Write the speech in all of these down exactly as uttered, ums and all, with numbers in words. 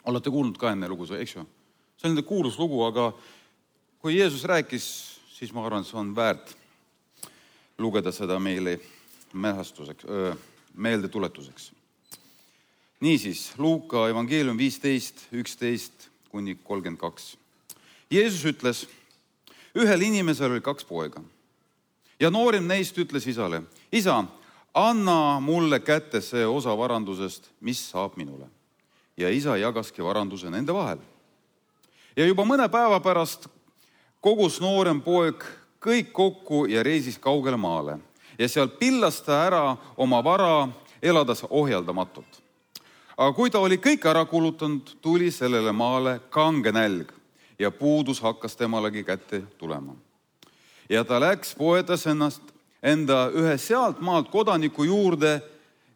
Olete kuulnud ka enne lugu, eks ju? See on kuulus lugu, aga kui Jeesus rääkis, siis ma arvan, see on väärt lugeda seda meile mälestuseks, meeldetuletuseks. Niisiis, Luuka evangeelium viisteist, üksteist kuni kolmkümmend kaks. Jeesus ütles, ühel inimesel oli kaks poega. Ja noorim neist ütles isale, isa, anna mulle kätte see osa varandusest, mis saab minule. Ja isa jagaski varanduse nende vahel. Ja juba mõne päeva pärast kogus noorem poeg kõik kokku ja reisis kaugele maale. Ja seal pillas ta ära oma vara, elades ohjaldamatult. Aga kui ta oli kõik ära kulutanud, tuli sellele maale kange nälg ja puudus hakkas temalegi kätte tulema. Ja ta läks poetas ennast enda ühe sealt maalt kodaniku juurde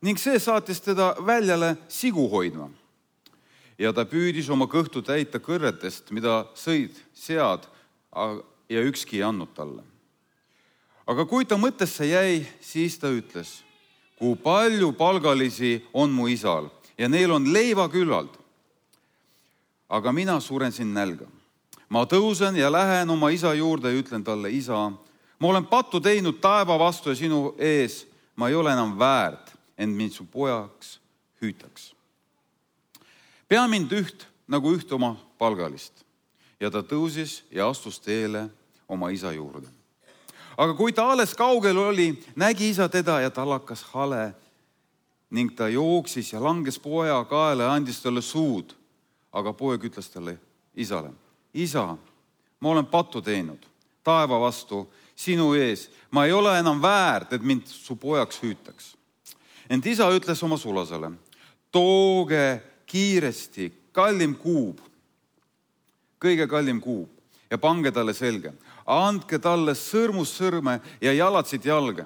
ning see saatis teda väljale sigu hoidma. Ja ta püüdis oma kõhtu täita kõrretest, mida sõid sead ja ükski ei andnud talle. Aga kui ta mõttesse jäi, siis ta ütles, kui palju palgalisi on mu isal ja neil on leiva küllalt. Aga mina suren siin nälga. Ma tõusen ja lähen oma isa juurde ja ütlen talle, isa, ma olen pattu teinud taeva vastu ja sinu ees. Ma ei ole enam väärt, ent mind su pojaks hüütaks. Pea mind üht nagu üht oma palgalist. Ja ta tõusis ja astus teele oma isa juurde. Aga kui ta alles kaugel oli, nägi isa teda ja tal hakkas hale ning ta jooksis ja langes poja kaela ja andis talle suud. Aga poeg ütles talle isale, isa, ma olen pattu teinud taeva vastu sinu ees. Ma ei ole enam väärt, et mind su pojaks hüütaks. Ent isa ütles oma sulasele, tooge kiiresti kallim kuub, kõige kallim kuub ja pange talle selge. Andke talle sõrmus sõrme ja jalatsid jalge.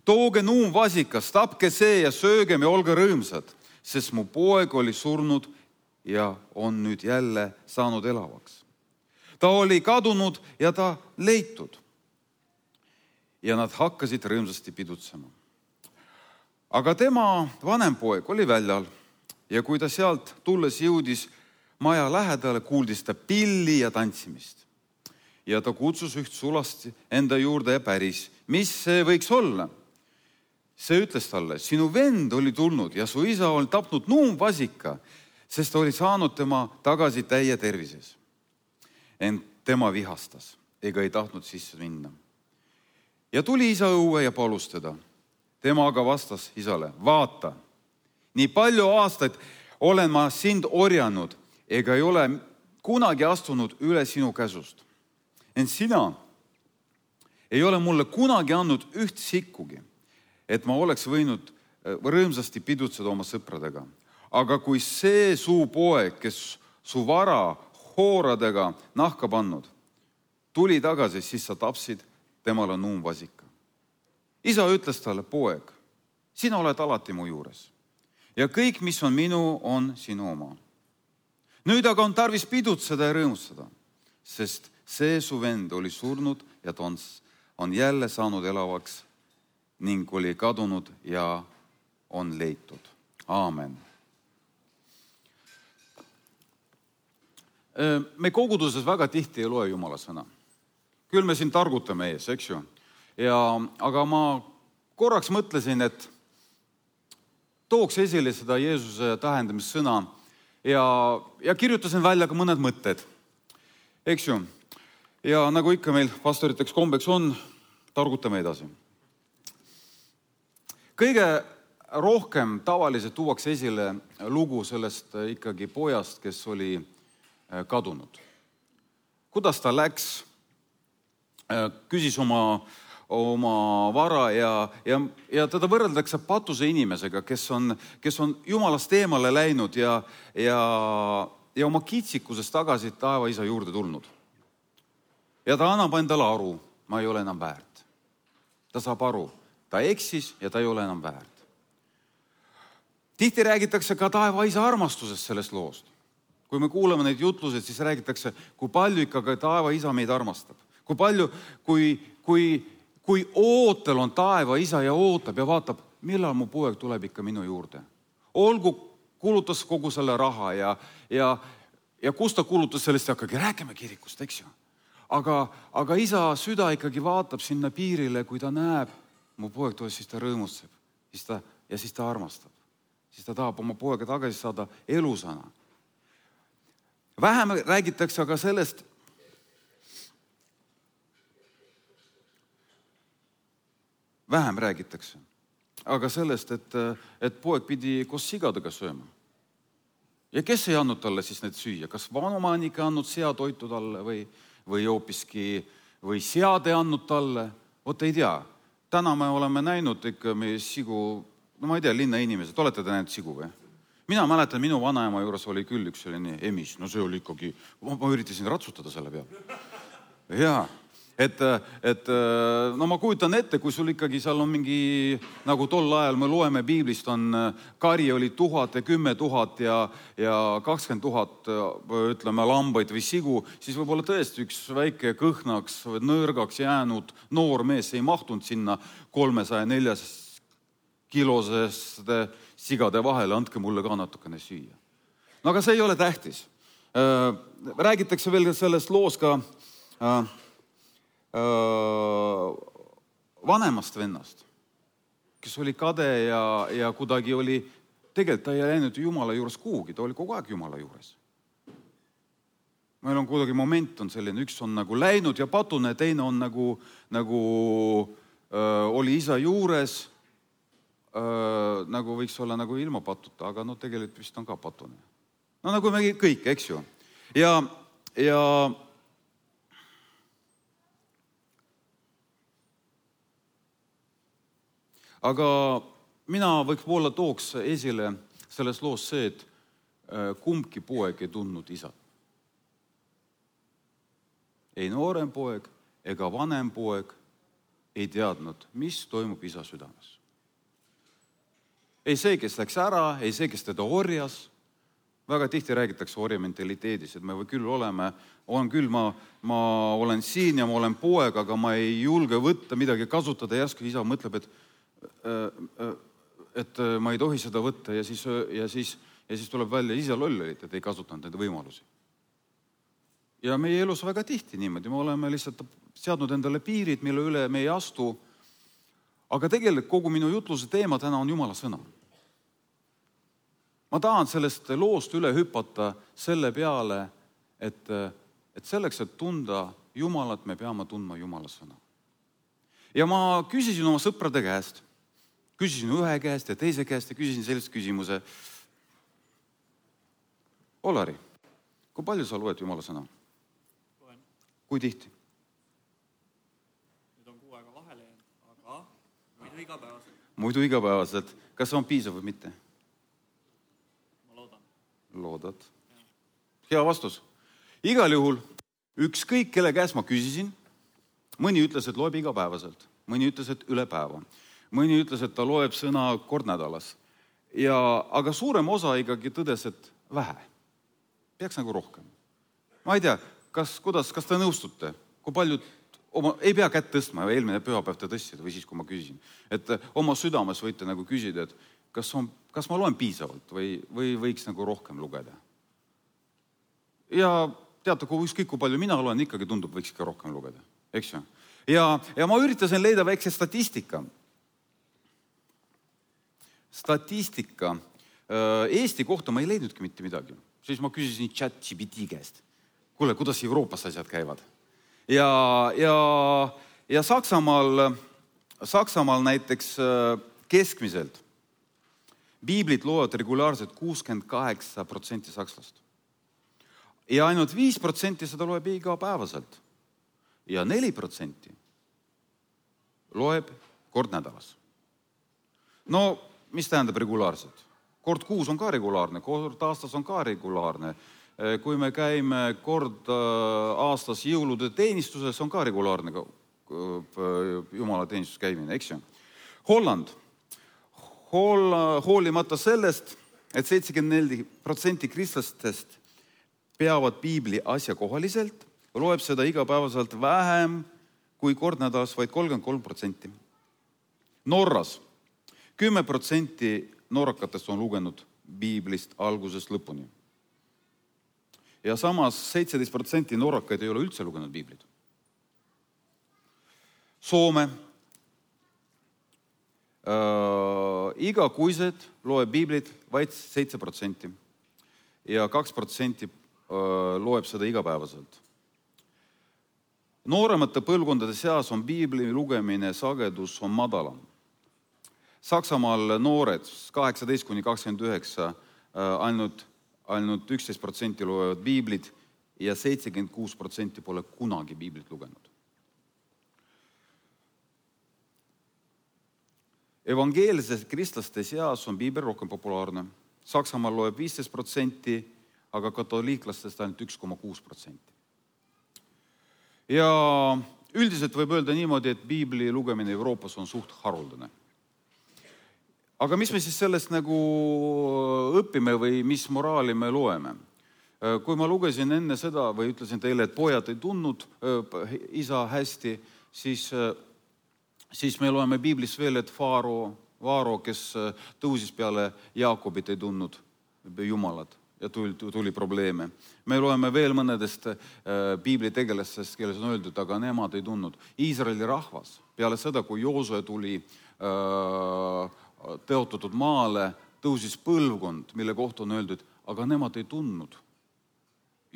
Tooge nuum vasikas, tapke see ja söögem ja olge rõõmsad, sest mu poeg oli surnud ja on nüüd jälle saanud elavaks. Ta oli kadunud ja ta leitud. Ja nad hakkasid rõõmsasti pidutsema. Aga tema vanem poeg oli väljal ja kui ta sealt tulles jõudis maja lähedale, kuuldis ta pilli ja tantsimist. Ja ta kutsus üht sulast enda juurde ja päris, mis see võiks olla? See ütles talle, sinu vend oli tulnud ja su isa oli tapnud nuumvasika, sest ta oli saanud tema tagasi täie tervises. Ent tema vihastas, ega ei tahtnud sisse minna. Ja tuli isa õue ja palus teda. Tema aga vastas isale, vaata, nii palju aastaid olen ma sind orjanud, ega ei ole kunagi astunud üle sinu käsust. Ent sina ei ole mulle kunagi andnud üht sikkugi, et ma oleks võinud rõõmsasti pidutseda oma sõpradega. Aga kui see su poeg, kes su vara hooradega nahka pannud, tuli tagasi, siis sa tapsid temale nuumvasika. Isa ütles talle, poeg, sina oled alati mu juures ja kõik, mis on minu, on sinu oma. Nüüd aga on tarvis pidutseda ja rõõmustada, sest see su vend oli surnud ja ta on, on jälle saanud elavaks ning oli kadunud ja on leitud. Aamen. Me koguduses väga tihti ei loe Jumala sõna. Küll me siin targutame ees, eks ju. Ja, aga ma korraks mõtlesin, et tooks esile seda Jeesuse tähendamissõna ja, ja kirjutasin välja ka mõned mõtted. Eks ju. Ja nagu ikka meil pastoriteks kombeks on, targutame edasi. Kõige rohkem tavaliselt tuuakse esile lugu sellest ikkagi pojast, kes oli kadunud. Kuidas ta läks, küsis oma, oma vara ja, ja, ja teda võrreldakse patuse inimesega, kes on, kes on Jumalast eemale läinud ja, ja, ja oma kitsikusest tagasi taeva isa juurde tulnud. Ja ta annab endale aru, ma ei ole enam väärt. Ta saab aru, ta eksis ja ta ei ole enam väärt. Tihti räägitakse ka taeva isa armastusest sellest loost. Kui me kuuleme neid jutlused, siis räägitakse, kui palju ikka taeva isa meid armastab. Kui palju, kui, kui, kui ootel on taeva isa ja ootab ja vaatab, millal mu poeg tuleb ikka minu juurde. Olgu kulutas kogu selle raha ja, ja, ja kus ta kulutas sellest, hakkagi rääkima kirikust, eks ju. Aga, aga isa süda ikkagi vaatab sinna piirile, kui ta näeb, mu poeg tuleb, siis ta rõõmustab siis ta, ja siis ta armastab. Siis ta tahab oma poega tagasi saada elusana. Vähem räägitakse aga sellest, vähem räägitakse, aga sellest, et, et poeg pidi koos sigadega sööma. Ja kes ei andnud talle siis need süüa? Kas vanomanik ei andnud seatoitu talle või, või hoopiski või sead ei andnud talle? Vot ei tea. Täna me oleme näinud ikka meie sigu, no ma ei tea, linna inimesed, olete te näinud sigu või? Mina mäletan, minu vanaema juures oli küll üks selline emis, no see oli ikkagi, ma, ma üritasin ratsutada selle peale. Jaa, et, et no ma kujutan ette, kui sul ikkagi seal on mingi, nagu tol ajal me loeme piiblist, on kari oli tuhat ja kümme tuhat ja, ja kakskümmend tuhat, ütleme, lambaid või sigu, siis võib-olla tõesti üks väike kõhnaks, nõrgaks jäänud noor mees ei mahtunud sinna kolmesaja neljas kilosest sigade vahele, andke mulle ka natukene süüa. No aga see ei ole tähtis. Räägitakse veel sellest loos ka vanemast vennast, kes oli kade ja, ja kuidagi oli, tegelikult ta ei läinud Jumala juures kuhugi, ta oli kogu aeg Jumala juures. Meil on kuidagi moment on selline, üks on nagu läinud ja patune, teine on nagu, nagu öö, oli isa juures, öö, nagu võiks olla nagu ilma patuta, aga no tegelikult vist on ka patune. No nagu me kõik, eks ju. Ja, ja aga mina võib-olla tooks esile selles loos see, et kumbki poeg ei tundnud isat. Ei noorem poeg ega vanem poeg ei teadnud, mis toimub isa südames. Ei see, kes läks ära, ei see, kes teda orjas. Väga tihti räägitakse orja mentaliteedis, et me või küll oleme, on küll, ma, ma olen siin ja ma olen poeg, aga ma ei julge võtta midagi kasutada. Järsku isa mõtleb, et et ma ei tohi seda võtta ja siis, ja siis, ja siis tuleb välja isa lollelit, et ei kasutanud neid võimalusi. Ja meie elus väga tihti niimoodi, me oleme lihtsalt seadnud endale piirid, mille üle me ei astu, aga tegelikult kogu minu jutluse teema täna on Jumala sõna. Ma tahan sellest loost üle hüpata selle peale, et, et selleks, et tunda Jumalat, me peame tundma Jumala sõna. Ja ma küsisin oma sõprade käest, küsisin ühe käest ja teise käest ja küsisin sellist küsimuse. Olari, kui palju sa loed Jumala sõna? Loen. Kui tihti? Nüüd on kuu aega vahele, aga muidu igapäevaselt. Muidu igapäevaselt. Kas see on piisav või mitte? Ma loodan. Loodad. Ja. Hea vastus. Igal juhul ükskõik, kelle käest ma küsisin, mõni ütles, et loeb igapäevaselt. Mõni ütles, et üle päeva. Mõni ütles, et ta loeb sõna kord nädalas. Ja, aga suurem osa ikkagi tõdes, et vähe. Peaks nagu rohkem. Ma ei tea, kas, kuidas, kas te nõustute? Kui paljud, oma, ei pea kätt tõstma, eelmine pühapäev te tõstsid või siis, kui ma küsisin. Et oma südames võite nagu küsida, et kas, on, kas ma loen piisavalt või, või võiks nagu rohkem lugeda. Ja teate, kui ükskõik, kui palju mina loen, ikkagi tundub, võiks ikka rohkem lugeda. Eks ju? Ja, ja ma üritasin leida väikse statistika. Statistika. Eesti kohta ma ei leidnudki mitte midagi. Siis ma küsisin chat G P T käest. Kuule, kuidas Euroopas asjad käivad? Ja, ja, ja Saksamaal, Saksamaal näiteks keskmiselt piiblit loevad regulaarselt kuuskümmend kaheksa protsenti sakslast. Ja ainult viis protsenti seda loeb igapäevaselt. Ja neli protsenti loeb kord nädalas. No, mis tähendab regulaarselt? Kord kuus on ka regulaarne, kord aastas on ka regulaarne. Kui me käime kord aastas jõulude teenistuses, on ka regulaarne Jumala teenistus käimine, eks ju? Holland. Hoolimata sellest, et seitsekümmend neli protsenti kristlastest peavad piibli asjakohaliselt, loeb seda igapäevaselt vähem kui kord nädalas, vaid kolmkümmend kolm protsenti. Norras kümme protsenti norrakatest on lugenud piiblist algusest lõpuni. Ja samas seitseteist protsenti norrakaid ei ole üldse lugenud piiblit. Soome äh, igakuiselt loeb piiblit vaid seitse protsenti ja kaks protsenti äh, loeb seda igapäevaselt. Nooremate põlvkondade seas on piibli lugemine sagedus on madalam. Saksamaal noored kaheksateist kuni kakskümmend üheksa äh, ainult, ainult üksteist protsenti loevad piiblit ja seitsekümmend kuus protsenti pole kunagi piiblit lugenud. Evangeelses kristlaste seas on piibel rohkem populaarne. Saksamaal loeb viisteist protsenti, aga katoliiklastest ainult üks koma kuus protsenti. Ja üldiselt võib öelda niimoodi, et piibli lugemine Euroopas on suht haruldane. Aga mis me siis sellest nagu õpime või mis moraali me loeme? Kui ma lugesin enne seda või ütlesin teile, et pojad ei tundnud isa hästi, siis siis me loeme piiblis veel, et Faaro, Vaaro, kes tõusis peale Jaakobit, ei tundnud Jumalat ja tuli, tuli probleeme. Me loeme veel mõnedest piibli tegelastest, kelles on öeldud, aga nemad ei tundnud. Iisraeli rahvas peale seda, kui Joosue tuli teotatud maale, tõusis põlvkond, mille kohta on öeldud, aga nemad ei tundnud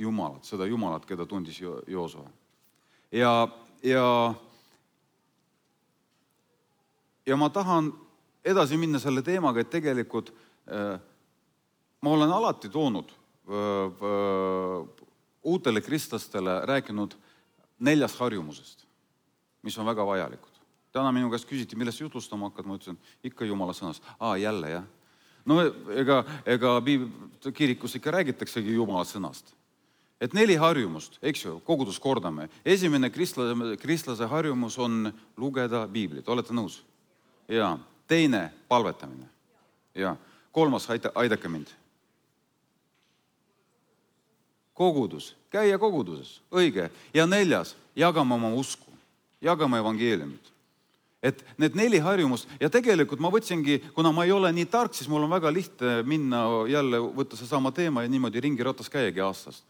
Jumalat, seda Jumalat, keda tundis Joosue. Ja, ja Ja ma tahan edasi minna selle teemaga, et tegelikult äh, ma olen alati toonud äh, äh, uutele kristlastele rääkinud neljas harjumusest, mis on väga vajalikud. Täna minu käest küsiti, millest jutlustama hakkad, ma ütlesin, ikka Jumala sõnast. Aa, jälle, jah. No ega, ega kirikus ikka räägitaksegi Jumala sõnast. Et neli harjumust, eks ju, kogudus kordame. Esimene kristlase, kristlase harjumus on lugeda piiblit. Olete nõus? Ja teine, palvetamine. Ja kolmas, aita, aidake mind. Kogudus, käia koguduses, õige. Ja neljas, jagame oma usku, jagame evangeeliumit. Et need neli harjumust, ja tegelikult ma võtsingi, kuna ma ei ole nii tark, siis mul on väga lihtne minna jälle võtta see sama teema ja niimoodi ringi ratas käiagi aastast.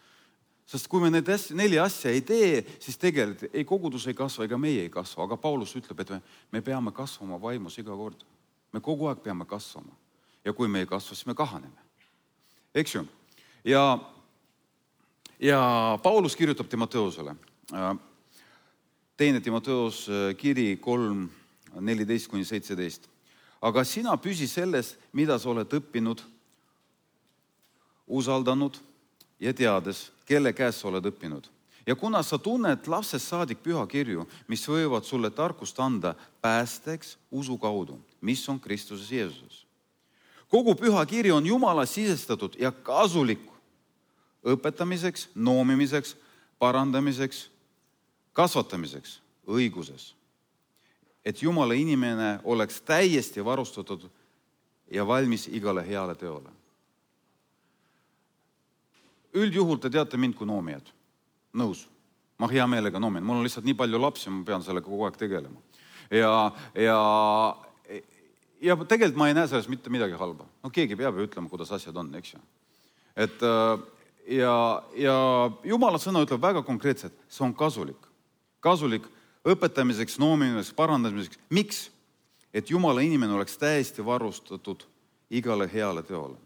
Sest kui me need neli asja ei tee, siis tegelikult ei kogudus ei kasva ega meie ei kasva. Aga Paulus ütleb, et me, me peame kasvama vaimus iga kord. Me kogu aeg peame kasvama. Ja kui me ei kasva, siis me kahaneme. Eks ju? Ja, ja Paulus kirjutab Timoteusele. Teine Timoteus kiri kolm, neliteist kuni seitseteist. Aga sina püsi selles, mida sa oled õppinud, usaldanud ja teades, kelle käes sa oled õppinud. Ja kuna sa tunned lapsest saadik pühakirju, mis võivad sulle tarkust anda päästeks usu kaudu, mis on Kristuses Jeesuses. Kogu pühakiri on Jumala sisestatud ja kasulik õpetamiseks, noomimiseks, parandamiseks, kasvatamiseks õiguses. Et Jumala inimene oleks täiesti varustatud ja valmis igale heale teole. Üldjuhul te teate mind kui noomijad. Nõus. Ma hea meelega noomin. Mul on lihtsalt nii palju lapsi, ma pean sellega kogu aeg tegelema. Ja, ja, ja tegelikult ma ei näe selles mitte midagi halba. No keegi peab ju ütlema, kuidas asjad on, eks ju. Et, ja, ja Jumala sõna ütleb väga konkreetselt, see on kasulik. Kasulik õpetamiseks, noomimiseks, parandamiseks. Miks? Et Jumala inimene oleks täiesti varustatud igale heale teole.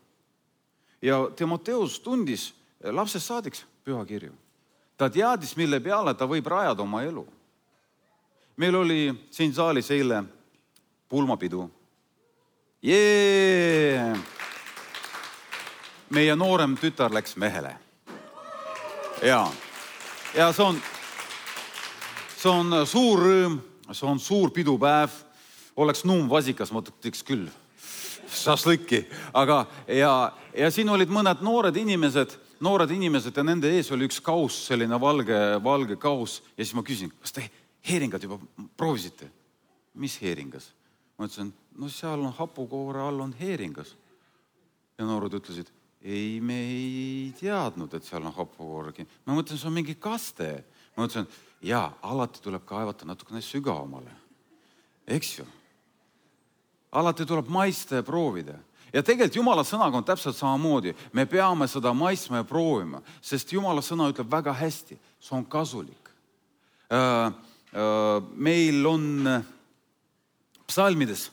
Ja Timoteus tundis lapsest saadiks pühakirju. Ta teadis, mille peale ta võib rajada oma elu. Meil oli siin saalis eile pulmapidu. Jee! Meie noorem tütar läks mehele. Ja, ja see on, see on suur rõõm, see on suur pidupäev. Oleks nuum vasikas, ma ütleks küll. Šašlõkki. Aga ja, ja siin olid mõned noored inimesed, noored inimesed ja nende ees oli üks kaus, selline valge, valge kaus. Ja siis ma küsin, kas te heeringad juba proovisite? Mis heeringas? Ma ütlesin, no seal on hapukoore all on heeringas. Ja noored ütlesid, ei, me ei teadnud, et seal on hapukooregi. Ma mõtlen, see on mingi kaste. Ma ütlesin, jaa, alati tuleb kaevata natukene sügavamale. Eks ju? Alati tuleb maista ja proovida. Ja tegelikult Jumala sõnaga on täpselt samamoodi. Me peame seda maitsma ja proovima, sest Jumala sõna ütleb väga hästi. See on kasulik. Meil on psalmides,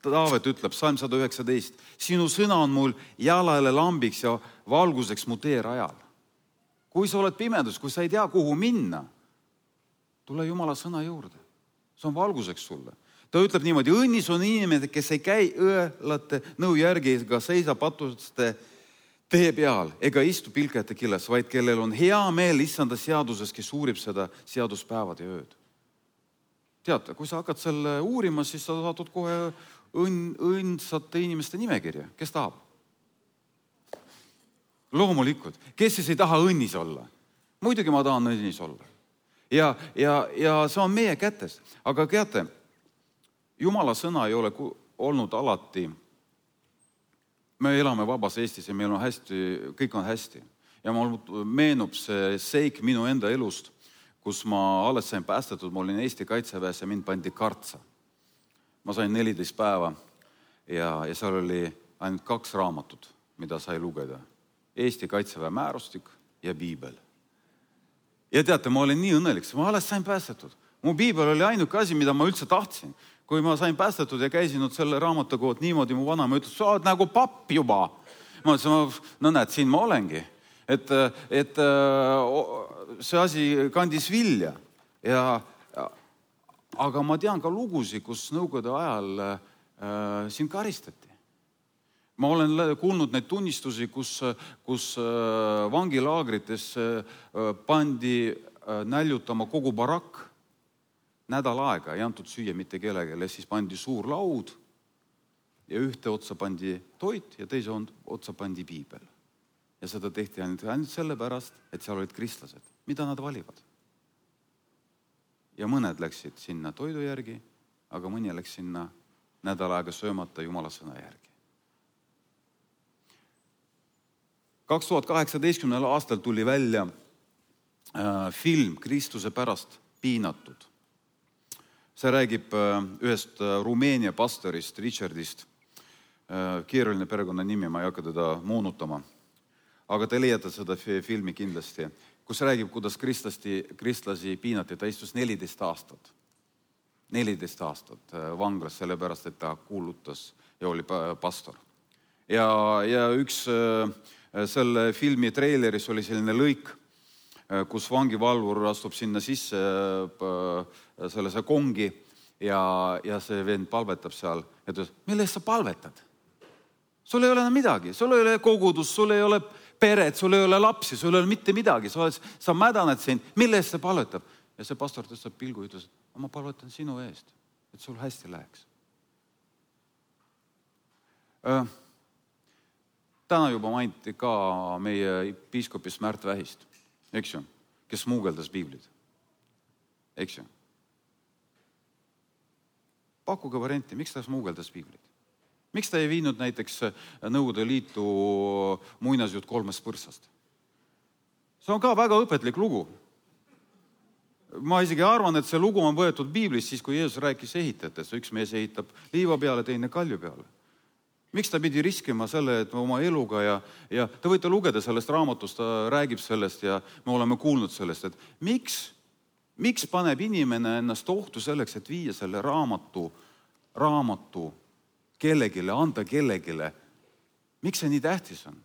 Taavet ütleb, psalm sada üheksateist, sinu sõna on mul jalale lambiks ja valguseks mu teerajal. Kui sa oled pimedus, kui sa ei tea, kuhu minna, tule Jumala sõna juurde. See on valguseks sulle. Ta ütleb niimoodi, õnnis on inimene, kes ei käi õelate nõu järgi ega seisa patuste tee peal ega istu pilkajate killes, vaid kellel on hea meel issanda seaduses, kes uurib seda seaduspäevad ja ööd. Teate, kui sa hakkad selle uurima, siis sa saadud kohe õn, õndsate inimeste nimekirja. Kes tahab? Loomulikult. Kes siis ei taha õnnis olla? Muidugi ma tahan õnnis olla. Ja, ja, ja see on meie kätes. Aga teate, Jumala sõna ei ole olnud alati. Me elame vabas Eestis ja meil on hästi, kõik on hästi. Ja mul meenub see seik minu enda elust, kus ma alles sain päästetud, ma olin Eesti kaitseväes ja mind pandi kartsa. Ma sain neliteist päeva ja, ja seal oli ainult kaks raamatut, mida sai lugeda. Eesti kaitseväe määrustik ja piibel. Ja teate, ma olin nii õnnelik, ma alles sain päästetud. Mu piibel oli ainuke asi, mida ma üldse tahtsin. Kui ma sain päästetud ja käisin selle raamatukood niimoodi, mu vanaema ütles, sa oled nagu papp juba. Ma ütlesin, no näed, siin ma olengi. Et, et see asi kandis vilja. Ja, aga ma tean ka lugusid, kus nõukogude ajal äh, siin karistati. Ma olen kuulnud neid tunnistusi, kus, kus äh, vangilaagrites äh, pandi äh, näljutama kogu barakk. Nädal aega ei antud süüa mitte kellegele, siis pandi suur laud ja ühte otsa pandi toit ja teise otsa pandi piibel. Ja seda tehti ainult, ainult sellepärast, et seal olid kristlased. Mida nad valivad? Ja mõned läksid sinna toidu järgi, aga mõni läks sinna nädal aega söömata Jumala sõna järgi. kaks tuhat kaheksateistkümnendal aastal tuli välja äh, film Kristuse pärast piinatud. See räägib ühest Rumeenia pastorist, Richardist, keeruline perekonna nimi, ma ei hakka teda moonutama. Aga te leiate seda filmi kindlasti, kus räägib, kuidas kristlasi, kristlasi piinati. Ta istus neliteist aastat. neliteist aastat vanglas, sellepärast, et ta kuulutas ja oli pastor. Ja, ja üks selle filmi treileris oli selline lõik, kus vangivalvur astub sinna sisse sellesse kongi ja, ja see vend palvetab seal. Ja ta ütleb, mille eest sa palvetad? Sul ei ole midagi, sul ei ole kogudus, sul ei ole peret, sul ei ole lapsi, sul ei ole mitte midagi. Sa, oled, sa mädaned siin, mille eest sa palvetab? Ja see pastor tõstab pilgu ja ütles, et ma palvetan sinu eest, et sul hästi läheks. Täna juba mainiti ka meie piiskopis Märt Vähist. Eks ju, kes muugeldas piiblid. Eks ju. Pakkuge varianti, miks ta muugeldas piiblid? Miks ta ei viinud näiteks Nõukogude Liitu muinasjutt kolmest põrsast? See on ka väga õpetlik lugu. Ma isegi arvan, et see lugu on võetud piiblis siis, kui Jeesus rääkis ehitajatest. Üks mees ehitab liiva peale, teine kalju peale. Miks ta pidi riskima selle, et oma eluga ja, ja te võite lugeda sellest raamatust, ta räägib sellest ja me oleme kuulnud sellest, et miks, miks paneb inimene ennast ohtu selleks, et viia selle raamatu, raamatu kellegile, anda kellegile. Miks see nii tähtis on?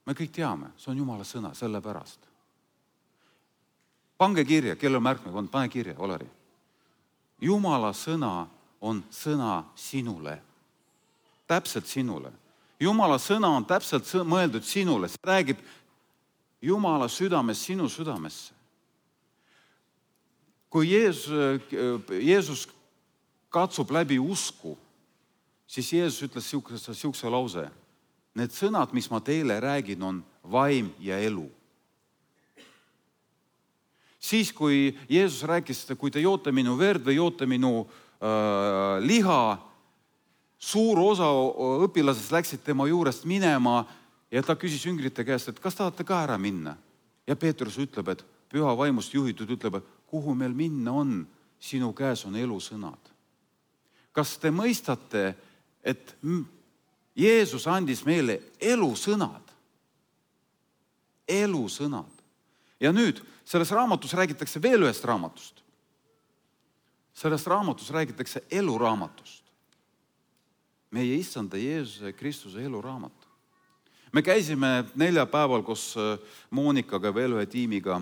Me kõik teame, see on Jumala sõna, selle pärast. Pange kirja, kelle märkme on, pane kirja, Olari. Jumala sõna on sõna sinule. Täpselt sinule. Jumala sõna on täpselt mõeldud sinule. See räägib Jumala südames sinu südamesse. Kui Jeesus, Jeesus katsub läbi usku, siis Jeesus ütles siukse, siukse lause. Need sõnad, mis ma teile räägin, on vaim ja elu. Siis, kui Jeesus rääkis, kui te joote minu verd või joote minu liha, suur osa õpilasest läksid tema juurest minema ja ta küsis jüngrite käest, et kas tahate ka ära minna? Ja Peetrus ütleb, et püha vaimust juhitud ütleb, et kuhu meil minna on, sinu käes on elusõnad. Kas te mõistate, et Jeesus andis meile elusõnad. Elusõnad. Ja nüüd selles raamatus räägitakse veel ühest raamatust. Selles raamatus räägitakse eluraamatust. Meie issanda Jeesuse Kristuse eluraamat. Me käisime neljapäeval koos Moonikaga veel ühe tiimiga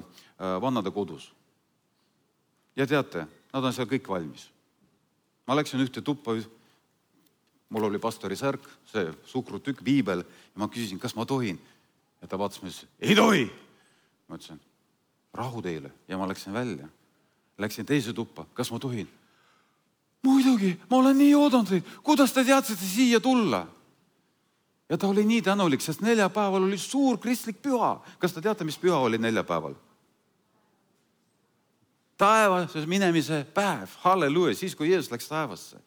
vannade kodus. Ja teate, nad on seal kõik valmis. Ma läksin ühte tuppa, mul oli pastori särk, see sukrutükk, viibel, ja ma küsisin, kas ma tohin. Ja ta vaatas, ma ütlesin, ei tohi! Ma ütlesin, rahu teile, ja ma läksin välja. Läksin teise tuppa, kas ma tohin? Muidugi, ma olen nii oodanud teid, kuidas te teadsite siia tulla? Ja ta oli nii tänulik, sest neljapäeval oli suur kristlik püha. Kas te teate, mis püha oli neljapäeval? Taevasse minemise päev, halleluja, siis kui Jeesus läks taevasse.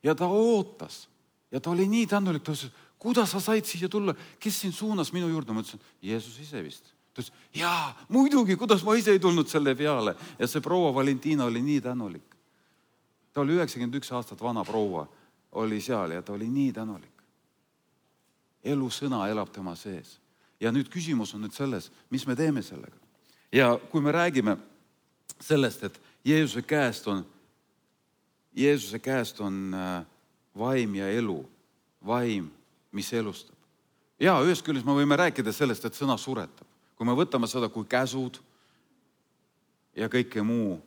Ja ta ootas. Ja ta oli nii tänulik, ta ütles, kuidas sa said siia tulla? Kes siin suunas minu juurde? Ma ütlesin, Jeesus ise vist. Ta ütles, jaa, muidugi, kuidas ma ise ei tulnud selle peale. Ja see proua Valentina oli nii tänulik. Ta oli üheksakümmend üks aastat vana proua, oli seal ja ta oli nii tänulik. Elusõna elab tema sees. Ja nüüd küsimus on nüüd selles, mis me teeme sellega. Ja kui me räägime sellest, et Jeesuse käest on, Jeesuse käest on vaim ja elu, vaim, mis elustab. Ja ühest küljest me võime rääkida sellest, et sõna suretab. Kui me võtame seda kui käsud ja kõike muu,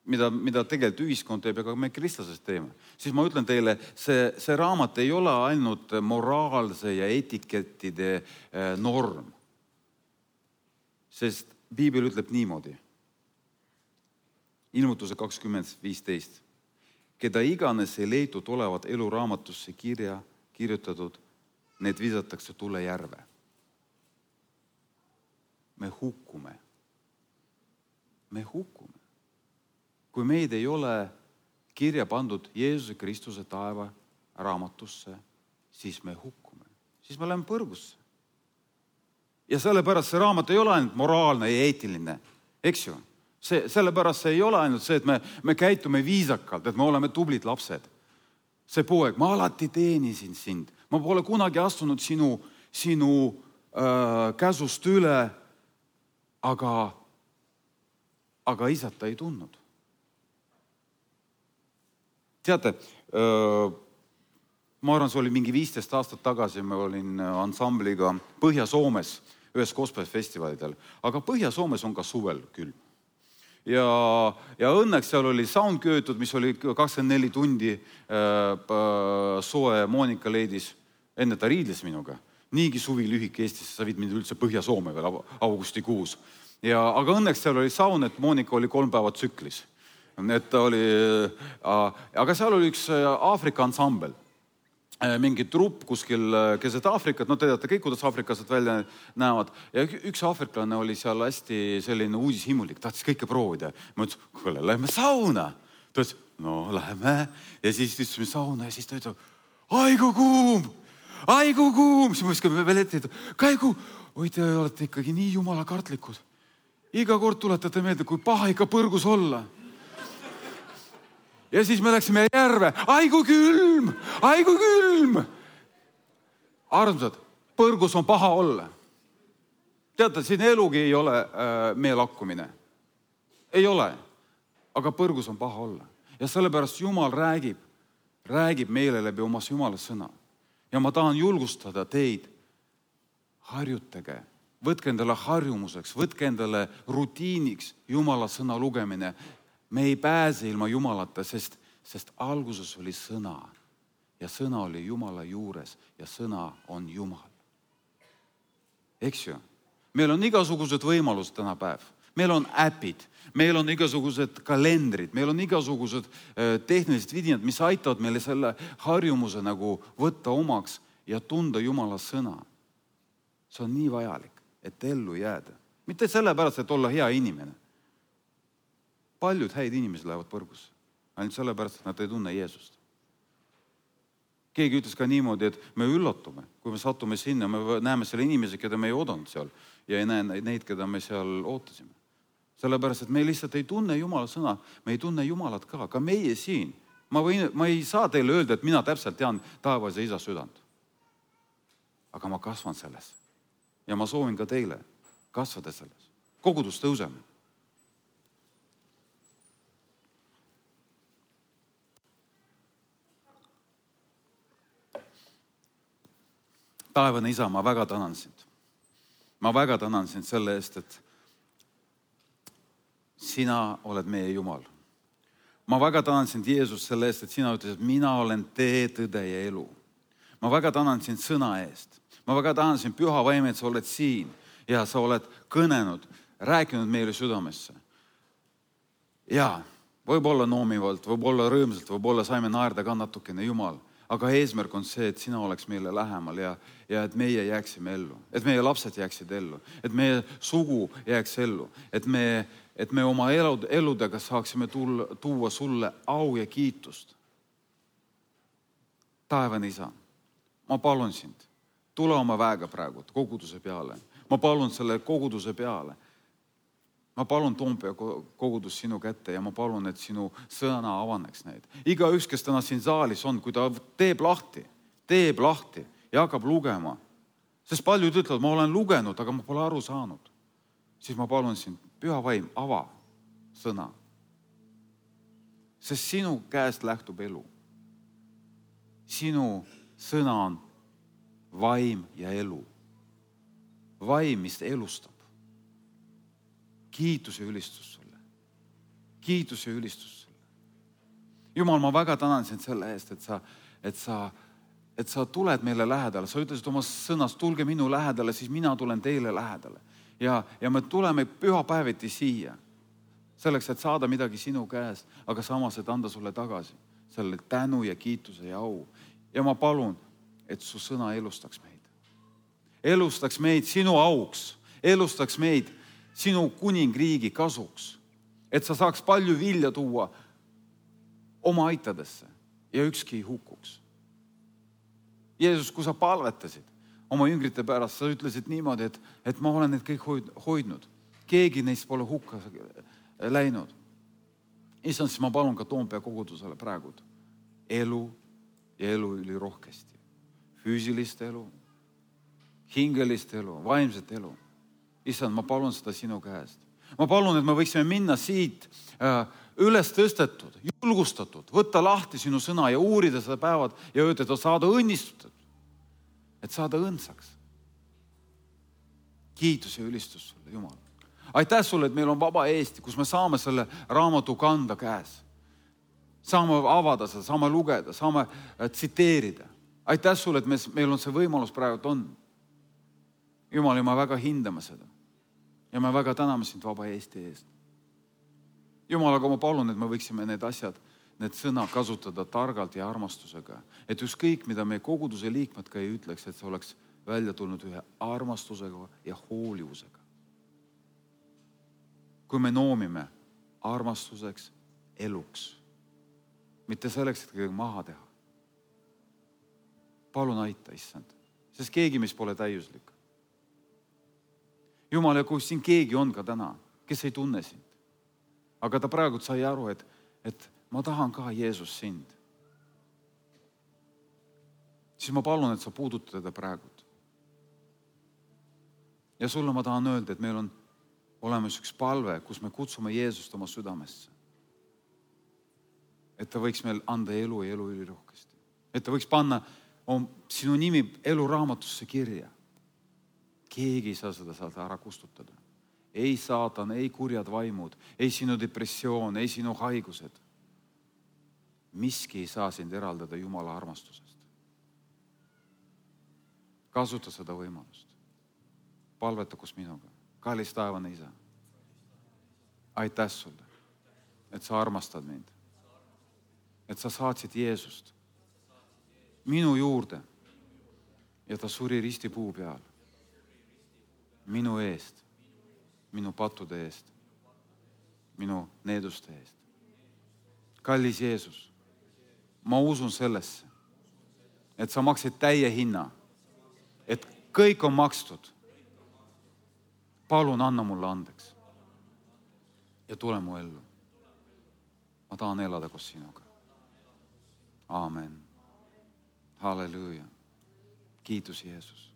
mida, mida tegelikult ühiskond teeb ja ka me kristlasest teeme, siis ma ütlen teile, see, see raamat ei ole ainult moraalse ja etikettide norm. Sest Piibel ütleb niimoodi. Ilmutuse kakskümmend viisteist. Keda iganes ei leitud olevat eluraamatusse kirja kirjutatud, need visatakse tule järve. Me hukkume. Me hukkume. Kui meid ei ole kirja pandud Jeesuse Kristuse taeva raamatusse, siis me hukkume. Siis me läheme põrgusse. Ja sellepärast see raamat ei ole ainult moraalne ja eetiline. Eks ju? See, sellepärast see ei ole ainult see, et me, me käitume viisakalt, et me oleme tublid lapsed. See poeg, ma alati teenisin sind. Ma pole kunagi astunud sinu, sinu äh, käsust üle, aga, aga isat ta ei tundnud. Teate, äh, ma arvan, see oli mingi viisteist aastat tagasi, me olin ansambliga Põhja-Soomes ühes gospelfestivalidel, aga Põhja-Soomes on ka suvel külm. Ja, ja õnneks seal oli sound köötud, mis oli kakskümmend neli tundi äh, soe. Moonika leidis, enne ta riidles minuga. Niigi suvi lühik Eestis, sa viid mind üldse Põhja-Soome veel augustikuus. Ja, aga õnneks seal oli sound, et Moonika oli kolm päeva tsüklis. Et ta oli, äh, aga seal oli üks Aafrika ansambel. Mingi trupp kuskil keset Aafrikat, no te teate kõik, kuidas aafriklased välja näevad. Ja üks aafriklane oli seal hästi selline uudishimulik, tahtis kõike proovida. Ma ütlesin, kuule, lähme sauna. Ta ütles, no lähme. Ja siis istusime sauna ja siis ta ütleb, aigu kuum, aigu kuum. Siis ma viskame veel ette, käigu, oi te olete ikkagi nii jumala kartlikud. Iga kord tuletate meelde, kui paha ikka põrgus olla. Ja siis me läksime järve. Aigu külm! Aigu külm! Armsad, põrgus on paha olla. Teate, siin elugi ei ole äh, meie lakkumine. Ei ole. Aga põrgus on paha olla. Ja sellepärast Jumal räägib, räägib meile läbi omas Jumala sõna. Ja ma tahan julgustada teid. Harjutage. Võtke endale harjumuseks, võtke endale rutiiniks Jumala sõna lugemine. Me ei pääse ilma Jumalata, sest, sest alguses oli sõna ja sõna oli Jumala juures ja sõna on Jumal. Eks ju? Meil on igasugused võimalused täna päev. Meil on äpid, meil on igasugused kalendrid, meil on igasugused tehnilised vidinad, mis aitavad meile selle harjumuse nagu võtta omaks ja tunda Jumala sõna. See on nii vajalik, et ellu jääda. Mitte sellepärast, et olla hea inimene. Paljud häid inimesed lähevad põrgusse. Ainult sellepärast, et nad ei tunne Jeesust. Keegi ütles ka niimoodi, et me üllatume, kui me satume sinna, me näeme selle inimesi, keda me ei oodanud seal ja ei näe neid, keda me seal ootasime. Sellepärast, et me lihtsalt ei tunne Jumala sõna, me ei tunne Jumalat ka, ka meie siin. Ma, võin, ma ei saa teile öelda, et mina täpselt tean taevas ja isa südant. Aga ma kasvan selles. Ja ma soovin ka teile kasvada selles. Kogudus tõuseme. Taevane isa, ma väga tänan sind. Ma väga tänan sind selle eest, et sina oled meie Jumal. Ma väga tänan sind, Jeesus, selle eest, et sina ütlesid, et mina olen tee, tõde ja elu. Ma väga tänan sind sõna eest. Ma väga tänan sind, Püha Vaim, et sa oled siin ja sa oled kõnenud, rääkinud meile südamesse. Ja võib-olla noomivalt, võib-olla rõõmsalt, võib-olla saime naerda ka natukene, Jumal. Aga eesmärk on see, et sina oleks meile lähemal ja, ja et meie jääksime ellu. Et meie lapsed jääksid ellu. Et meie sugu jääks ellu. Et me, et me oma elud, eludega saaksime tulla, tuua sulle au ja kiitust. Taevane isa, ma palun sind, tule oma väega praegu koguduse peale. Ma palun selle koguduse peale. Ma palun Toompea kogudus sinu kätte ja ma palun, et sinu sõna avaneks neid. Iga üks, kes täna siin saalis on, kui ta teeb lahti, teeb lahti ja hakkab lugema. Sest paljud ütlevad, ma olen lugenud, aga ma pole aru saanud. Siis ma palun sind, Püha Vaim, ava sõna. Sest sinu käest lähtub elu. Sinu sõna on vaim ja elu. Vaim, mis elustab. Kiitus ja ülistus sulle. Kiitus ja ülistus sulle. Jumal, ma väga tänan sind selle eest, et sa, et sa, et sa tuled meile lähedale. Sa ütlesid oma sõnas, tulge minu lähedale, siis mina tulen teile lähedale. Ja, ja me tuleme pühapäeviti siia. Selleks, et saada midagi sinu käest, aga samas, et anda sulle tagasi. Selle tänu ja kiituse ja au. Ja ma palun, et su sõna elustaks meid. Elustaks meid sinu auks. Elustaks meid sinu kuningriigi kasuks, et sa saaks palju vilja tuua oma aitadesse ja ükski hukkuks. Jeesus, kui sa palvetasid oma jüngrite pärast, sa ütlesid niimoodi, et, et ma olen need kõik hoidnud. Keegi neist pole hukka läinud. Issand, siis ma palun ka Toompea kogudusele praegu elu ja elu üli rohkesti. Füüsilist elu, hingelist elu, vaimset elu. Issand, ma palun seda sinu käest. Ma palun, et me võiksime minna siit äh, üles tõstetud, julgustatud, võtta lahti sinu sõna ja uurida seda päevad ja öelda, et saada õnnistatud, et saada õndsaks. Kiitus ja ülistus sulle, Jumal. Aitäh sulle, et meil on vaba Eesti, kus me saame selle raamatu kanda käes. Saame avada seda, saame lugeda, saame tsiteerida. Aitäh sulle, et meil on see võimalus praegu on. Jumal, ja ma väga hindame seda. Ja me väga täname sind vaba Eesti eest. Jumal, aga ma palun, et me võiksime need asjad, need sõna kasutada targalt ja armastusega. Et ükskõik, mida meie koguduse liikmed ka ei ütleks, et see oleks välja tulnud ühe armastusega ja hoolivusega. Kui me noomime armastuseks eluks, mitte selleks, et kõige maha teha. Palun aita, issand, sest keegi, mis pole täiuslik. Jumal, ja kui siin keegi on ka täna, kes ei tunne sind, aga ta praegu sai aru, et, et ma tahan ka Jeesus sind, siis ma palun, et sa puudutad teda praegu. Ja sulle ma tahan öelda, et meil on olemas üks palve, kus me kutsume Jeesust oma südamesse. Et ta võiks meil anda elu ja elu üli rohkesti. Et ta võiks panna on sinu nimi eluraamatusse kirja. Keegi ei saa seda saada ära kustutada. Ei saatan, ei kurjad vaimud, ei sinu depressioon, ei sinu haigused. Miski ei saa sind eraldada Jumala armastusest. Kasuta seda võimalust. Palveta kus minuga. Kallis taevane isa. Aitäh sulle, et sa armastad mind. Et sa saatsid Jeesust minu juurde ja ta suri ristipuu peal. Minu eest, minu pattude eest, minu needuste eest. Kallis Jeesus, ma usun sellesse, et sa maksid täie hinna, et kõik on makstud. Palun anna mulle andeks ja tule mu ellu. Ma tahan elada koos sinuga. aamen. Halleluuja. Kiitus Jeesus.